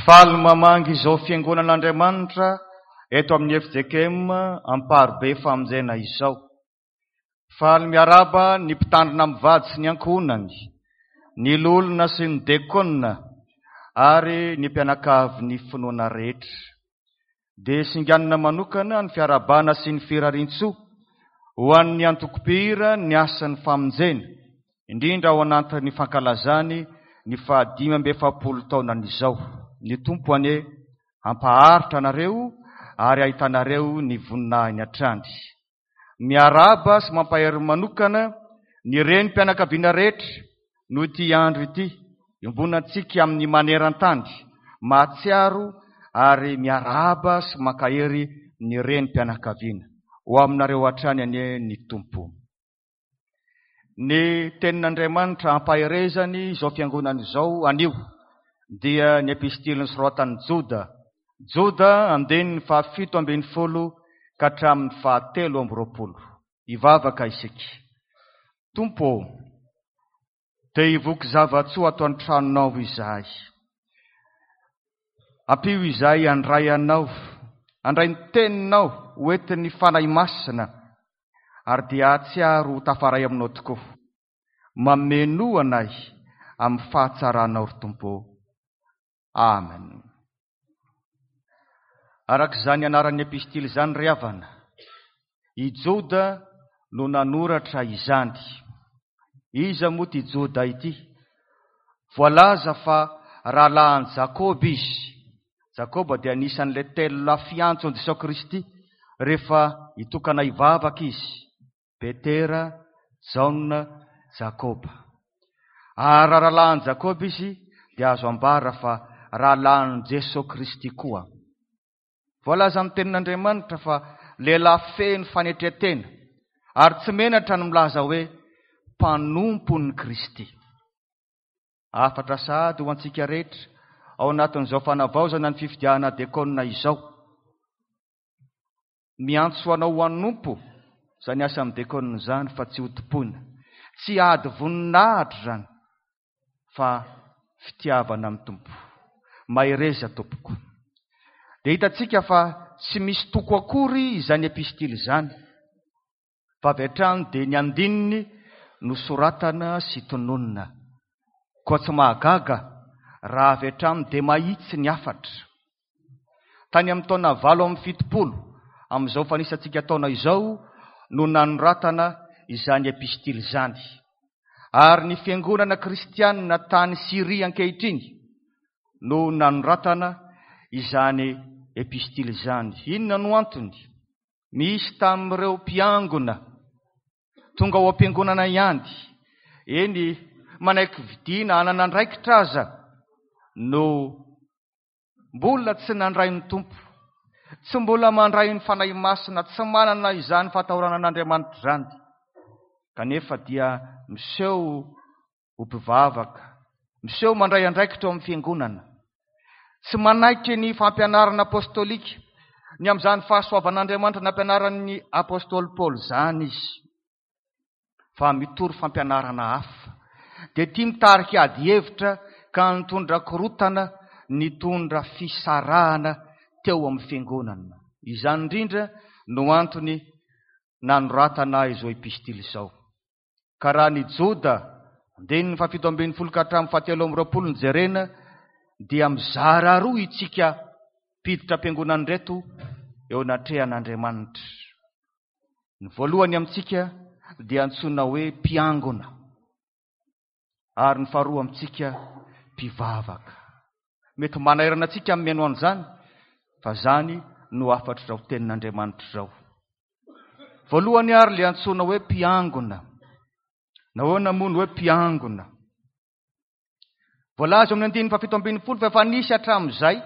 Faly mamangy izao Fiangonan'Andriamanitra eto amin'ny fjkm Amparibe Famonjena izao. Faly miarahaba ny mpitandrina mivady sy ny ankohonany, ny loholona sy ny dekona ary ny mpianakavin'ny finoana rehetra. Dia singanina manokana ny fiarahabana sy ny firariantsoa ho an'ny antoko mpihira ny asan'ny famonjena, indrindra ao anatin'ny fankalazany ny faha-45 taonany izao. Ny Tompo anie hampaharitra anareo ary hahitanareo ny voninahiny hatrany. Miarahaba sy mampahery manokana ny renim-pianakaviana rehetra noho ity andro ity iombonantsika amin'ny maneran-tany, mahatsiaro ary miarahaba sy mankahery ny renim-pianakaviana. Ho aminareo hatrany anie ny Tompo. Ny tenin'Andriamanitra ampaherezany izao fiangonana izao anio dia ny epistily nosoratan'i Joda, Joda andininy faha-17 ka hatramin'ny faha-23. Hivavaka isika. Tompo ô, te hivoky zava-tsoa ato an-tranonao izahay. Ampio izahay handray Anao, handray ny Teninao ho entin'ny Fanahy Masina, ary dia hahatsiaro ho tafaray Aminao tokoa. Mamenoa anay amin'ny fahatsaranao, ry Tompo ô. Amen. Araka izany anaran'ny epistily izany ry havana, i Joda no nanoratra izany. Iza moa ity Joda ity? Voalaza fa rahalahin'i Jakoba izy. Jakoba dia anisan'ilay telo lahy fiantso an'i Jesoa Kristy rehefa hitokana hivavaka izy. Petera, Jaona, Jakoba. Ary raha rahalahin'i Jakoba izy dia azo ambara fa rahalahin'i Jesoa Kristy koa. Voalazan'ny Tenin'Andriamanitra fa lehilahy feno fanetren-tena ary tsy menatra ny milaza hoe mpanompon'i Kristy. Hafatra sahady ho antsika rehetra ao anatin'izao fanavaozana ny fifidianana dekôna izao. Miantso anao ho hanompo izany asan'ny dekôna izany fa tsy hotompoina. Tsy ady voninahitra izany fa fitiavana ny Tompo. Mahereza tompoko. Dia hitantsika fa tsy misy toko akory izany epistily izany, fa avy hatrany dia ny andininy no soratana sy tononina. Koa tsy mahagaga raha avy hatrany dia mahitsy ny hafatra. Tany amin'ny taona 78 amin'izao fanisantsika taona izao no nanoratana izany epistily izany. Ary ny fiangonana kristianina tany Syria ankehitriny no nanoratana izany epistily izany. Inona no antony? Misy tamin'ireo mpiangona tonga ao am-piangonana ihany, eny manaiky vidiana hanana andraikitra aza no Mbola tsy nandray ny Tompo, tsy mbola mandray ny Fanahy Masina, tsy manana izany fahatahorana an'Andriamanitra izany, kanefa dia miseho ho mpivavaka, miseho mandray andraikitra ao amin'ny fiangonana. Tsy manaiky ny fampianarana apostolika, ny amin'izany fahasoavan'Andriamanitra nampianaran'ny apostoly Paoly izany izy. fa mitory fampianarana hafa, dia tia mitarika ady hevitra ka nitondra korotana, nitondra fisarahana teo amin'ny fiangonana. Izany indrindra no antony nanoratana izao epistily izao. Ka raha ny Joda, andininy faha-17 ka hatramin'ny faha-23 no jerena, dia mizara roa itsika mpiditra am-piangonana ireto eo anatrehan'Andriamanitra. Ny voalohany amintsika dia antsoina hoe mpiangona, ary ny faharoa amintsika mpivavaka. Mety manairana antsika amin'ny mihaino an'izany, fa izany no hafatr'izao tenin'Andriamanitra izao. Voalohany ary ilay antsoina hoe mpiangona. Nahoana moa no hoe mpiangona? Voalaza eo amin'ny andininy faha-17 fa efa nisy hatramin'izay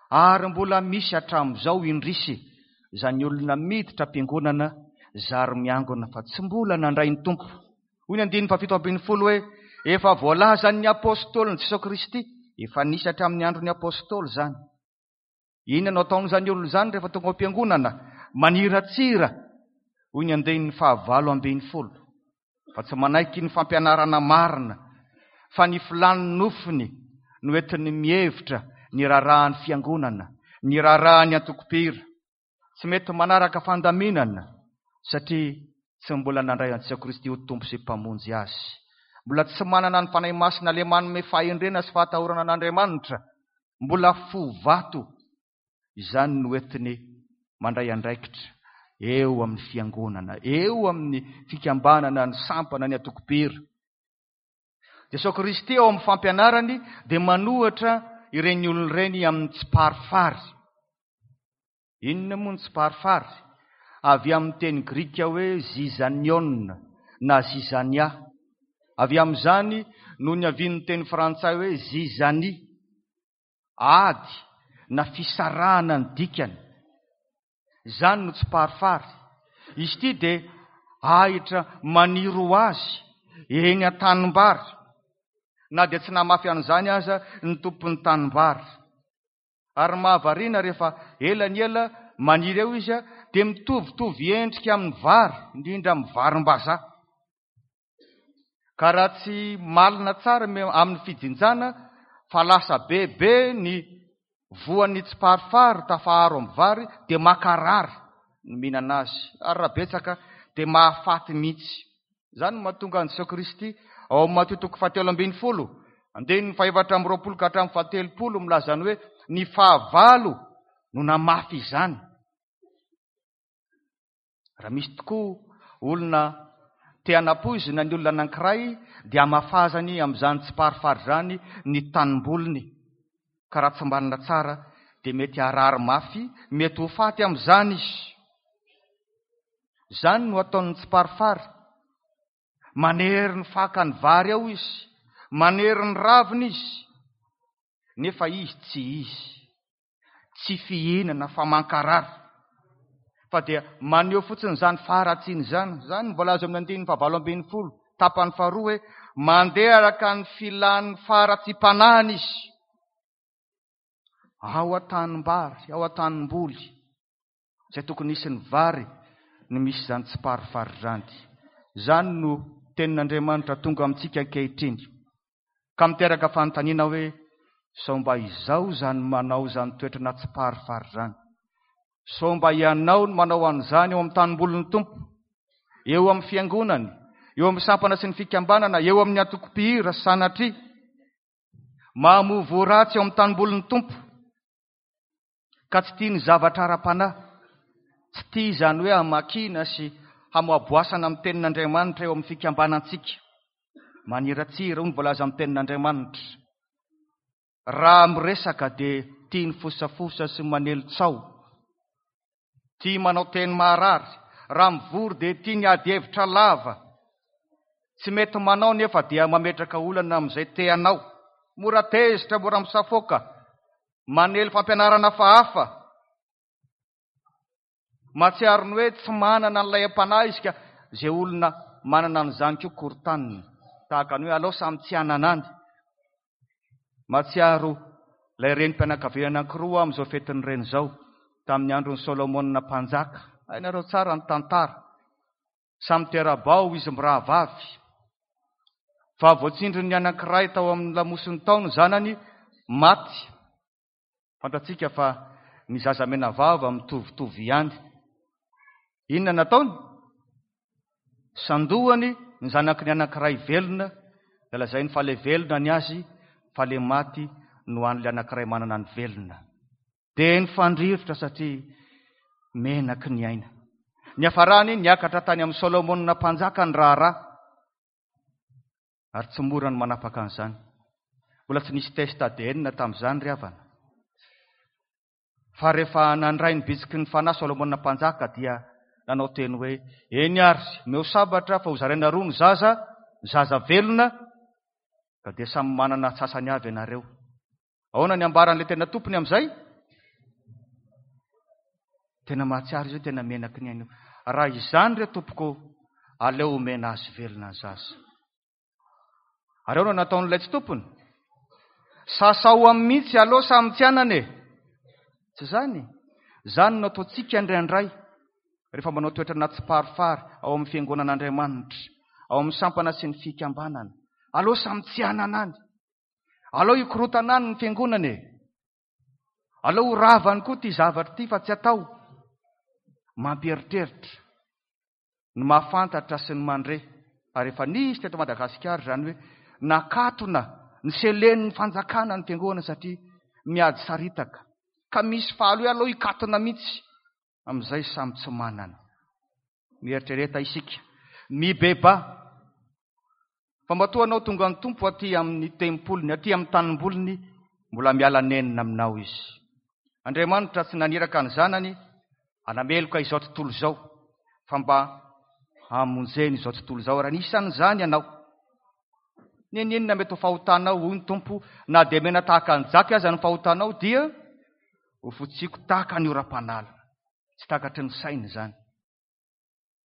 ary mbola misy hatramin'izao indrisy izany olona miditra am-piangonana zary miangona fa tsy mbola nandray ny Tompo. Hoy ny andininy faha-17 hoe efa voalazan'ny apôstôlin'i Jesoa Kristy, efa nisy hatramin'ny andron'ny apôstôly izany. Inona no ataon'izany olona izany rehefa tonga ao am-piangonana? Maniratsira, hoy ny andininy faha-18, fa tsy manaiky ny fampianarana marina, fa ny filàn'ny nofony no entiny mihevitra ny raharahan'ny fiangonana, ny raharahan'ny antoko-mpihira. Tsy mety manaraka fandaminana satria tsy mbola nandray an'i Jesoa Kristy ho Tompo sy Mpamonjy azy. Mbola tsy manana ny Fanahy Masina ilay manome fahendrena sy fahatahorana an'Andriamanitra. Mbola fo vato. Izany no entiny mandray andraikitra eo amin'ny fiangonana, eo amin'ny fikambanana, ny sampana, ny antoko-mpihira. Jesoa Kristy ao amin'ny fampianarany dia manohatra ireny olona ireny amin'ny tsiparifary. Inona moa ny tsiparifary? Avy amin'ny teny grika hoe zizanion na zizania. Avy amin'izany no niavian'ny teny frantsay hoe zizanie. Ady na fisarahana ny dikany. Izany no tsiparifary. Izy ity dia ahitra maniry ho azy eny an-tanimbary, na dia tsy namafy an'izany aza ny tompon'ny tanimbary. Ary mahavariana rehefa ela ny ela maniry eo izy dia mitovitovy endrika amin'ny vary, indrindra amin'ny varim-bazaha. Ka raha tsy malina tsara amin'ny fijinjana fa lasa bebe ny voan'ny tsiparifary tafaharo amin'ny vary dia makarary ny mihinana azy, ary raha betsaka dia mahafaty mihitsy. Izany no mahatonga an'i Jesoa Kristy ao amin'ny Matio toko fahatelo ambin'ny folo, andininy faha-24 ka hatramin'ny faha-30 milaza ny hoe ny fahavalo no namafy izany. Raha misy tokoa olona te hanapoizina ny olona anankiray dia hamafazany amin'izany tsiparifary izany ny tanimboliny, ka raha tsy mbanina tsara dia mety harary mafy, mety ho faty amin'izany izy. Izany no ataon'ny tsiparifary. Manery ny fakan'ny vary ao izy, manery ny ravina izy, nefa izy tsy izy. Tsy fihinana fa mankarary, fa dia maneho fotsiny izany faharatsiana izany. Izany no voalaza amin'ny andininy fahavalo ambin'ny folo, tapany faharoa hoe mandeha araka ny filan'ny faharatsiam-panahiny izy. Ao an-tanimbary, ao an-tanimboly, izay tokony hisy ny vary no misy izany tsiparifary izany. Izany no tenin'Andriamanitra tonga amintsika ankehitriny. Ka miteraka fanontaniana hoe, sao mba izaho izany manao izany toetra na tsiparifary izany? Sao mba ianao no manao an'izany eo amin'ny tanimbolin'ny Tompo, eo amin'ny fiangonany, eo amin'ny sampana sy ny fikambanana, eo amin'ny antoko-mpihira, sanatria? Mamoa voa ratsy eo amin'ny tanimbolin'ny Tompo, ka tsy tia ny zavatra ara-panahy, tsy tia izany hoe hamakiana sy hamoaboasana amin'ny tenin'Andriamanitra eo amin'ny fikambanantsika. Maniratsira, hoy ny voalaza amin'ny tenin'Andriamanitra. Raha miresaka dia tia ny fosafosa sy manely tsaho. Tia manao teny maharary. Raha mivory dia tia ny ady hevitra lava. Tsy mety manao nefa dia mametraka olana amin'izay te hanao. Mora tezitra, mora misafoaka. Manely fampianarana hafahafa. Mahatsiaro ny hoe tsy manana an'ilay am-panahy izy ka izay olona manana an'izany koa korontanina. Tahaka ny hoe alao samy tsy hanana any. Mahatsiaro ilay renim-pianakaviana anankiroa aho amin'izao fetin'ny reny izao, tamin'ny andron'i Solomona mpanjaka. Hainareo tsara ny tantara. Samy tera-bao izy mirahavavy. Fa voatsindrin'ny anankiray tao amin'ny lamosiny tao ny zanany maty. Fantatsika fa ny zaza menavava mitovitovy ihany. Inona nataony? Sandohany ny zanaky ny anankiray velona, dia lazainy fa ilay velona ny azy, fa ilay maty no an'ilay anankiray manana ny velona. Dia nifandrirotra satria menaky ny aina. Niafarany niakatra tany amin'i Solomona mpanjaka ny raharaha. Ary tsy mora ny manapaka an'izany. Mbola tsy nisy test ADN tamin'izany ry havana. Fa rehefa nandray ny bitsiky ny fanahy Solomona mpanjaka dia nanao teny hoe, eny ary, omeo sabatra fa hozaraina roa ny zaza, ny zaza velona, ka dia samy manana antsasany avy ianareo. Ahoana ny ambaran'ilay tena tompony amin'izay? Tena mahatsiaro izy hoe tena menaky ny aina io. Raha izany re tompoko, aleo omena azy velona ny zaza. Ary ahoana nataon'ilay tsy tompony? Sasao amin'ny mihitsy aleo samy tsy anana e. Tsy izany? Izany no ataontsika indraindray rehefa manao toetra anaty tsiparifary ao amin'ny fiangonan'Andriamanitra, ao amin'ny sampana sy ny fikambanana. Aleo samy tsy anana any. Aleo hikorontana any ny fiangonana e. Aleo ho ravany koa ity zavatra ity fa tsy atao. Mampieritreritra ny mahafantatra sy ny mandre ary efa nisy teto Madagasikara izany hoe nakatona ny selenin'ny fanjakana ny fiangonana satria miady saritaka ka misy faly hoe aleo hikatona mihitsy amin'izay samy tsy manana. Mieritrereta isika. Mibebaha. Fa matoa anao tonga ny Tompo aty amin'ny tempoliny, aty amin'ny tanimboliny, mbola miala nenina aminao Izy. Andriamanitra tsy naniraka ny Zanany hanameloka izao tontolo izao, fa mba hamonjeny izao tontolo izao. Ary anisan'izany ianao. N'inon'inona mety ho fahotanao, hoy ny Tompo, na dia mena tahaka ny jaky aza ny fahotanao, dia ho fotsiako tahaka ny oram-panala. Tsy takatry ny saina izany.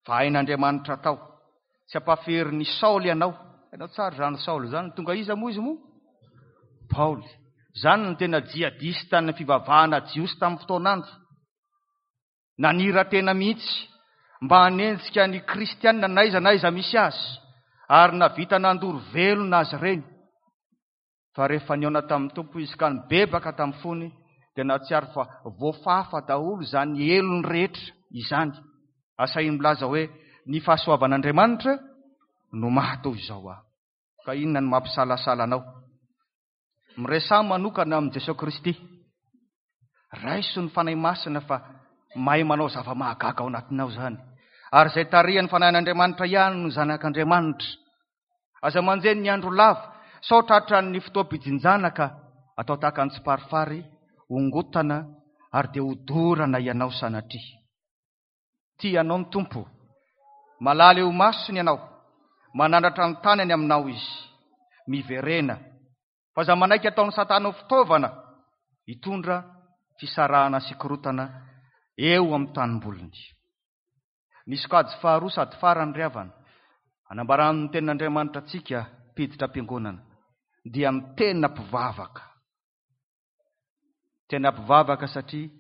Fa hain'Andriamanitra atao. Tsy ampaferin'i Saoly ianao. Hainao tsara izany Saoly izany. Tonga iza moa izy moa? Paoly. Izany no tena jihadista-n'ny fivavahana jiosy tamin'ny fotoan'andro. Nanira-tena mihitsy mba hanenjika ny kristiana n'aiza n'aiza misy azy, ary nahavita nandoro velona azy ireny. Fa rehefa nihaona tamin'ny Tompo izy ka nibebaka tamin'ny fony, dia nahatsiaro fa voafafa daholo izany helony rehetra izany. Asahiny milaza hoe, Ny fahasoavan'Andriamanitra no maha toy izao ahy. Ka inona no mampisalasala anao? Miresaha manokana amin'i Jesoa Kristy. Raiso ny Fanahy Masina fa mahay manao zava-mahagaga ao anatinao izany. Ary izay tarihan'ny Fanahin'Andriamanitra ihany no zanak'Andriamanitra. Aza manjeny ny andro lava, sao tratran'ny fotoam-pijinjana ka atao tahaka ny tsiparifary, hongotana ary dia hodorana ianao sanatria. Tia anao ny Tompo. Malala eo imasony ianao. Manandratra ny tanany aminao Izy. Miverena. Fa aza manaiky ataon'i Satana ho fitaovana hitondra fisarahana sy korontana eo amin'ny tanimboliny. Ny sokajy faharoa sady farany ry havana, anambaran'ny tenin'Andriamanitra antsika mpiditra am-piangonana, dia ny tena mpivavaka. Tena mpivavaka satria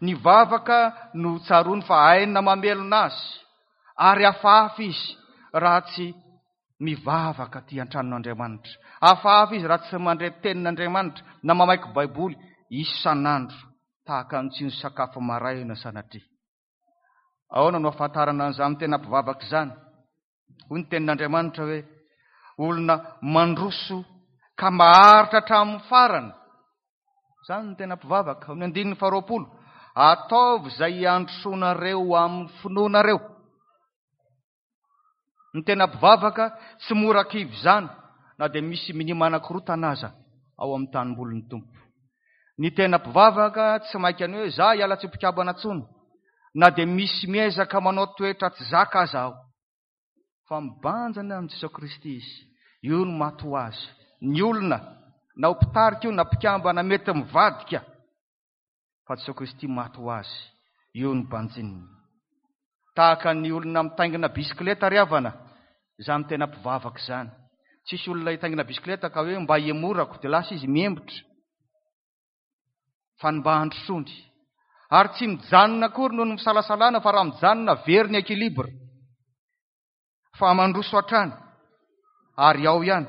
ny vavaka no tsaroany fa aina mamelona azy ary hafahafa izy raha tsy mivavaka aty an-tranon'Andriamanitra. Hafahafa izy raha tsy mandre tenin'Andriamanitra na mamaky Baiboly isan'andro tahaka ny tsy nisakafo maraina sanatria. Ahoana no ahafantarana an'izany tena mpivavaka izany? Hoy ny tenin'Andriamanitra hoe, olona mandroso ka maharitra hatramin'ny farany. Izany no tena mpivavaka. Amin'ny andininy faharoapolo, ataovy izay hiandrosoanareo amin'ny finoanareo. Ny tena mpivavaka tsy mora kivy izany na dia misy minia manakorontana aza ao amin'ny tanimbolin'ny Tompo. Ny tena mpivavaka tsy maika ny hoe za hiala tsy mpikambana intsony na dia misy miezaka manao toetra tsy zaka aza aho. Fa mibanjina amin'i Jesoa Kristy izy. Io no maty ho azy. Ny olona na ho mpitarika io na mpikambana mety mivadika fa Jesoa Kristy maty ho azy. Io no banjininy. Tahaka ny olona mitaingina bisikileta ry havana, izany tena mpivavaka izany. Tsisy olona hitaingina bisikileta ka hoe mba hihemorako dia lasa izy mihembotra. Fa ny mba handrosoany. Ary tsy mijanona akory noho ny fisalasalana fa raha mijanona very ny équilibre. Fa mandroso hatrany ary ao ihany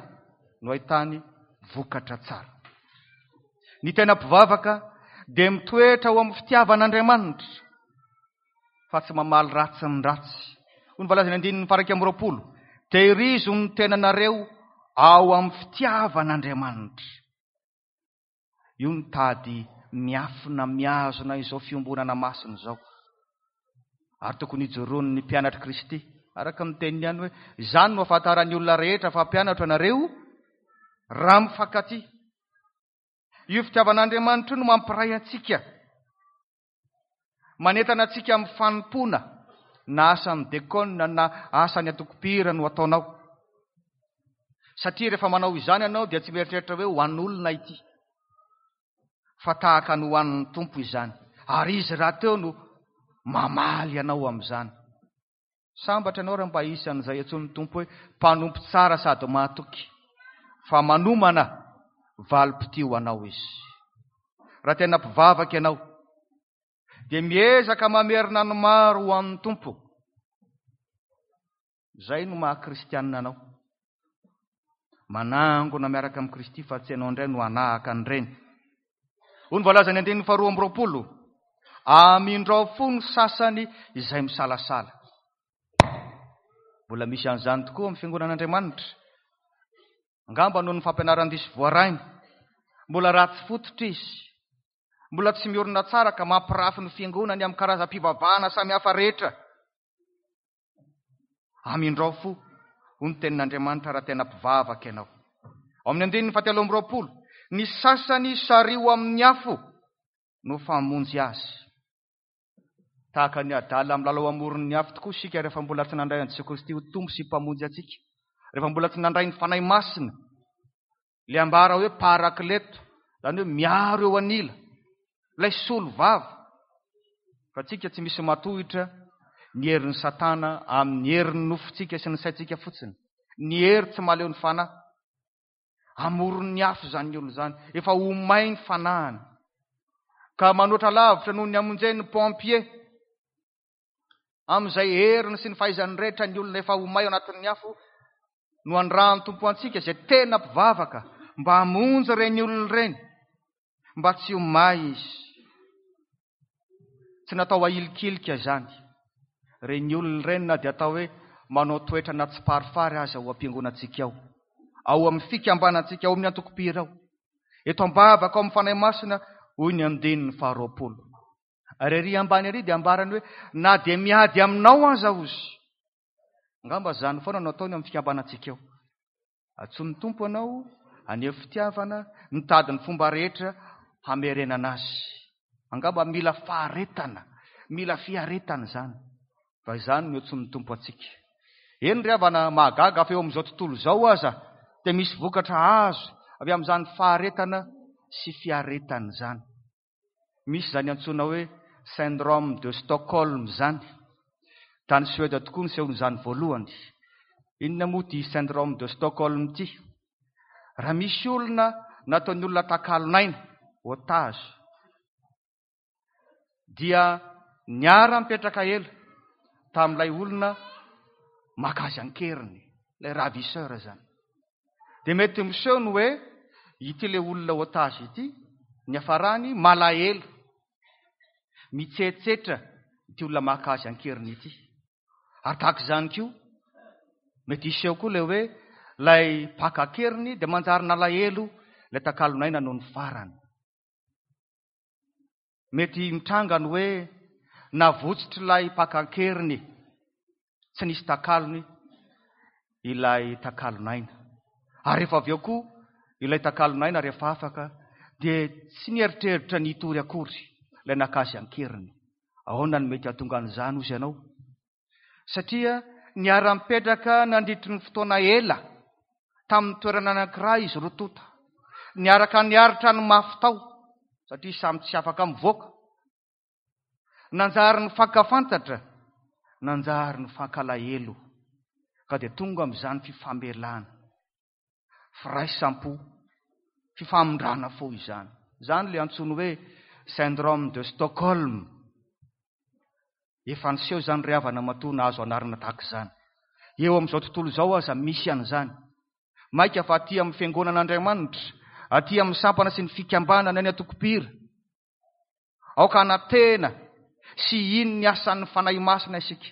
no ahitany vokatra tsara. Ny tena mpivavaka dia mitoetra ao amin'ny fitiavan'Andriamanitra fa tsy mamaly ratsy ny ratsy. Hoy ny voalazan'ny andininy faha 21, Tehirizo ny tenanareo ao amin'ny fitiavan'Andriamanitra. Io ny tady miafina mihazona izao fiombonana masina izao. Ary tokony hijoroan'ny mpianatr'i Kristy, araka ny teniny ihany hoe, izany no ahafantaran'ny olona rehetra fa mpianatro ianareo raha mifankatia. Io fitiavan'Andriamanitra io no mampiray antsika. Manentana antsika amin'ny fanompoana, na asan'ny dekona na asan'ny antokom-pihira no ataonao. Satria rehefa manao izany ianao dia tsy mieritreritra hoe ho an'olona ity, fa tahaka ny ho an'ny Tompo izany. Ary Izy rahateo no mamaly anao amin'izany. Sambatra ianao raha mba isan'izay antsoin'ny Tompo hoe mpanompo tsara sady mahatoky, fa manomana valim-pitia ho anao Izy. Raha tena mpivavaka ianao, dia miezaka mamerina ny maro ho an'ny Tompo. Izay no maha kristianina anao. Manangona miaraka amin'i Kristy fa tsy ianao indray no hanahaka an'ireny. Hoy ny voalazan'ny andininy faharoa amby roapolo, Amindrao fo ny sasany izay misalasala. Mbola misy an'izany tokoa amin'ny fiangonan'Andriamanitra. Angamba noho ny fampianaran-diso voarainy. Mbola ratsy fototra izy. Mbola tsy miorina tsara ka mampirafy ny fiangonany amin'ny karazam-pivavahana samihafa rehetra. Amindrao fo, hoy ny tenin'Andriamanitra raha tena mpivavaka ianao. Ao amin'ny andininy fahatelo amby roapolo, ny sasany sariho amin'ny afo no famonjy azy. Tahaka ny adala milalao amoron'ny afo tokoa isika rehefa mbola tsy nandray an'i Jesoa Kristy ho Tompo sy Mpamonjy antsika. Rehefa mbola tsy nandray ny Fanahy Masina, ilay ambara hoe parakleto, izany hoe miaro eo anila, ilay solo vava. Fa tsika tsy misy matohitra ny herin'ny Satana amin'ny herin'ny nofontsika sy ny saintsika fotsiny. Ny hery tsy mahaleo ny fanahy. Amoron'ny afo izany olona izany. Efa ho may ny fanahiny. Ka manoatra lavitra noho ny hamonjen'ny pompier. Amin'izay heriny sy ny fahaizany rehetra ny olona efa ho may ao anatin'ny afo no andrahan'ny Tompo antsika izay tena mpivavaka mba hamonjy ireny olona ireny mba tsy ho may izy. Tsy natao ahilikilika izany. Ireny olona ireny na dia atao hoe manao toetra na tsiparifary aza ao am-piangonantsika ao, ao amin'ny fikambanantsika, ao amin'ny antokom-pihira ao. Eto am-bavaka ao amin'ny Fanahy Masina, hoy ny andininy faharoapolo. Ary ery ambany ery dia ambarany hoe na dia miady aminao aza ozy. Angamba izany foana no ataony amin'ny fikambanantsika ao. Antsoin'ny Tompo anao haneho fitiavana, mitady ny fomba rehetra hamerenana azy. Angamba mila faharetana, mila fiaretana izany. Fa izany no antsoin'ny Tompo antsika. Eny ry havana, mahagaga fa eo amin'izao tontolo izao aza dia misy vokatra azo avy amin'izany faharetana sy fiaretana izany. Misy izany antsoina hoe syndrome de Stockholm izany. Tany Suède tokoa nisehoan'izany voalohany. Inona moa ity syndrome de Stockholm ity? Raha misy olona nataon'ny olona takalon'aina, otage, dia niara-nipetraka ela tamin'ilay olona maka azy an-keriny, ilay ravisseur izany. Dia mety miseho ny hoe ity ilay olona otage ity, niafarany malahelo, mitsetsetra ity olona maka azy an-keriny ity. Ary tahaka izany koa, mety hiseho koa ilay hoe ilay mpaka an-keriny dia manjary nalahelo ilay takalon'aina noho ny farany. Mety mitranga ny hoe navotsitr'ilay mpaka an-keriny, tsy nisy takalony ilay takalon'aina. Ary rehefa avy eo koa ilay takalon'aina rehefa afaka dia tsy nieritreritra ny hitory akory ilay naka azy an-keriny. Ahoana no mety hahatonga an'izany hozy ianao? Satria niara-nipetraka nandritry ny fotoana ela tamin'ny toerana anankiray izy roa tonta. Niaraka niaritra ny mafy tao, satria samy tsy afaka mivoaka. Nanjary nifankafantatra, nanjary nifankalahelo, ka dia tonga amin'izany fifamelana, firaisam-po, fifamindrana fo izany. Izany ilay antsoiny hoe syndrome de Stockholm. Efa niseho izany ry havana matoa nahazo anarana tahaka izany. Eo amin'izao tontolo izao aza misy an'izany. Mainka fa aty amin'ny fiangonan'Andriamanitra, aty amin'ny sampana sy ny fikambanana ny antokom-pihira. Aoka hanantena sy hino ny asan'ny Fanahy Masina isika,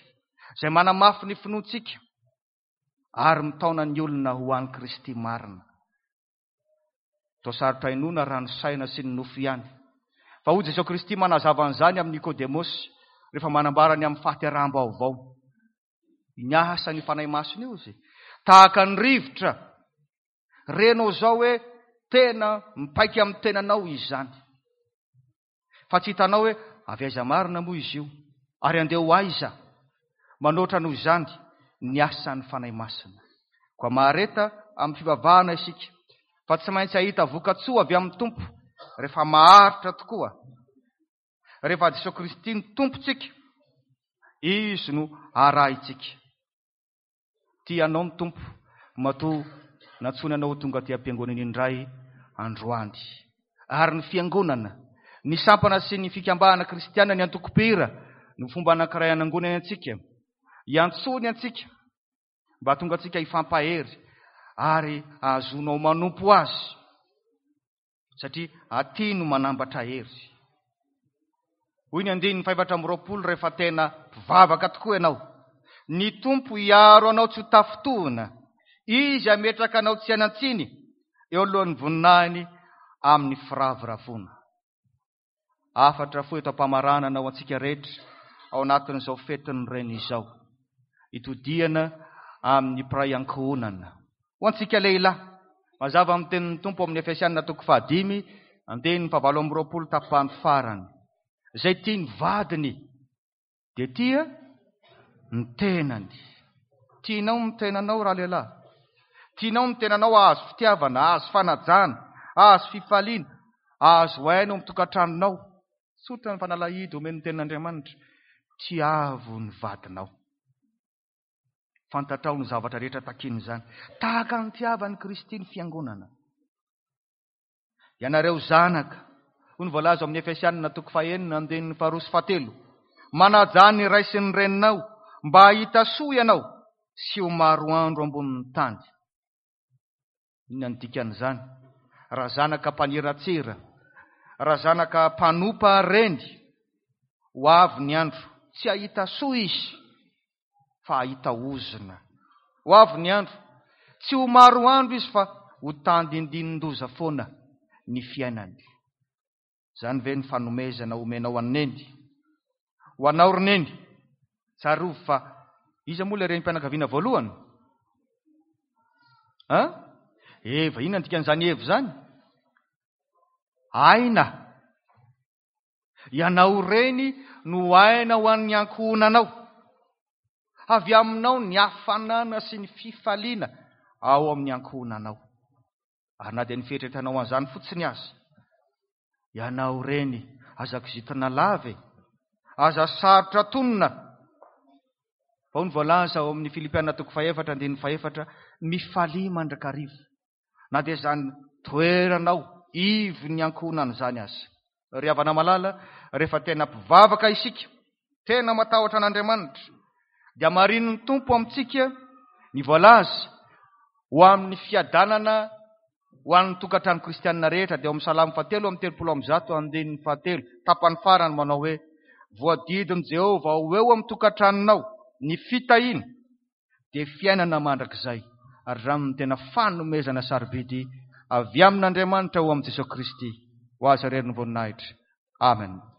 izay manamafy ny finoantsika ary mitaona ny olona ho an'i Kristy marina. Toa sarotra inoana raha ny saina sy ny nofo ihany. Fa hoy Jesoa Kristy manazava an'izany amin'i Nikodemosy rehefa manambara ny amin'ny fahateraham-baovao. Ny asan'ny Fanahy Masina io izy. Tahaka ny rivotra. Renao izao hoe tena mipaika amin'ny tenanao izy izany. Fa tsy hitanao hoe avy aiza marina moa izy io, ary andeha ho aiza? Manoatra noho izany ny asan'ny Fanahy Masina. Koa mahareta amin'ny fivavahana isika, fa tsy maintsy hahita vokatsoa avy amin'ny Tompo rehefa maharitra tokoa. Rehefa Jesoa Kristy no Tompontsika, Izy no arahintsika. Tia anao ny Tompo matoa nantsoiny anao ho tonga aty am-piangonana indray androany. Ary ny fiangonana, ny sampana sy ny fikambanana kristiana, ny antokom-pihira no fomba anankiray hanangonany antsika, hiantsoany antsika mba hahatonga antsika hifampahery ary hahazoanao manompo Azy. Satria aty no manambatra hery. Hoy ny andininy faha-24 rehefa tena mpivavaka tokoa ianao, Ny Tompo hiaro anao tsy ho tafintohina, Izy hametraka anao tsy hanan-tsiny eo alohan'ny voninahiny amin'ny firavoravoana. Hafatra fohy eto am-pamaranana ho antsika rehetra ao anatin'izao fetin'ny Reny izao. Itodihana amin'ny mpiray ankohonana. Ho antsika lehilahy, mazava amin'ny tenin'ny Tompo amin'ny Efesiana toko fahadimy, andininy fahavalo amby roapolo tapany farany. Izay tia ny vadiny dia tia ny tenany. Tianao ny tenanao raha lehilahy. Tianao ny tenanao hahazo fitiavana, hahazo fanajana, hahazo fifaliana, hahazo aina ao amin'ny tokantranonao. Tsotra ny fanalahidy omen'ny tenin'Andriamanitra. Tiavo ny vadinao. Fantatrao ny zavatra rehetra takian'izany. Tahaka ny tiavan'i Kristy ny fiangonana. Ianareo zanaka, hoy ny voalaza ao amin'ny Efesianina toko fahenina andininy faharoa sy fahatelo, manajà ny ray sy ny reninao mba hahita soa ianao sy ho maro andro ambonin'ny tany. Inona ny dikan'izany? Raha zanaka mpaniratsira, raha zanaka mpanompa reny, ho avy ny andro, tsy hahita soa izy, fa hahita ozona. Ho avy ny andro, tsy ho maro andro izy fa ho tandindinin-doza foana ny fiainany. Izany ve ny fanomezana omenao an'i Neny? Ho anao ry Neny, tsarovy fa iza moa ilay renim-pianakaviana voalohany? An? Eva, inona ny dikan'izany Eva izany? Aina. Ianao reny no aina ho an'ny ankohonanao. Avy aminao ny hafanana sy ny fifaliana ao amin'ny ankohonanao. Ary na dia ny fieritreretanao an'izany fotsiny aza, ianao reny, aza kizitina lava e! Aza sarotra tonona! Vao ny voalaza ao amin'ny Filipiana toko fahefatra andininy fahefatra, mifalia mandrakariva, na dia izany toeranao ivon'ny ankohonana izany aza. Ry havana malala, rehefa tena mpivavaka isika, tena matahotra an'Andriamanitra, dia marinin'ny Tompo amintsika ny voalaza ho amin'ny fiadanana ho an'ny tokantrano kristianina rehetra, dia ao amin'ny Salamo fahatelo amby telopolo amby zato andininy fahatelo, tapany farany manao hoe, Voadidin'i Jehovah ho eo amin'ny tokantranonao ny fitahiana, dia fiainana mandrakizay, ary izany no tena fanomezana sarobidy avy amin'Andriamanitra ho amin'i Jesosy Kristy. Ho Azy irery ny voninahitra. Amen.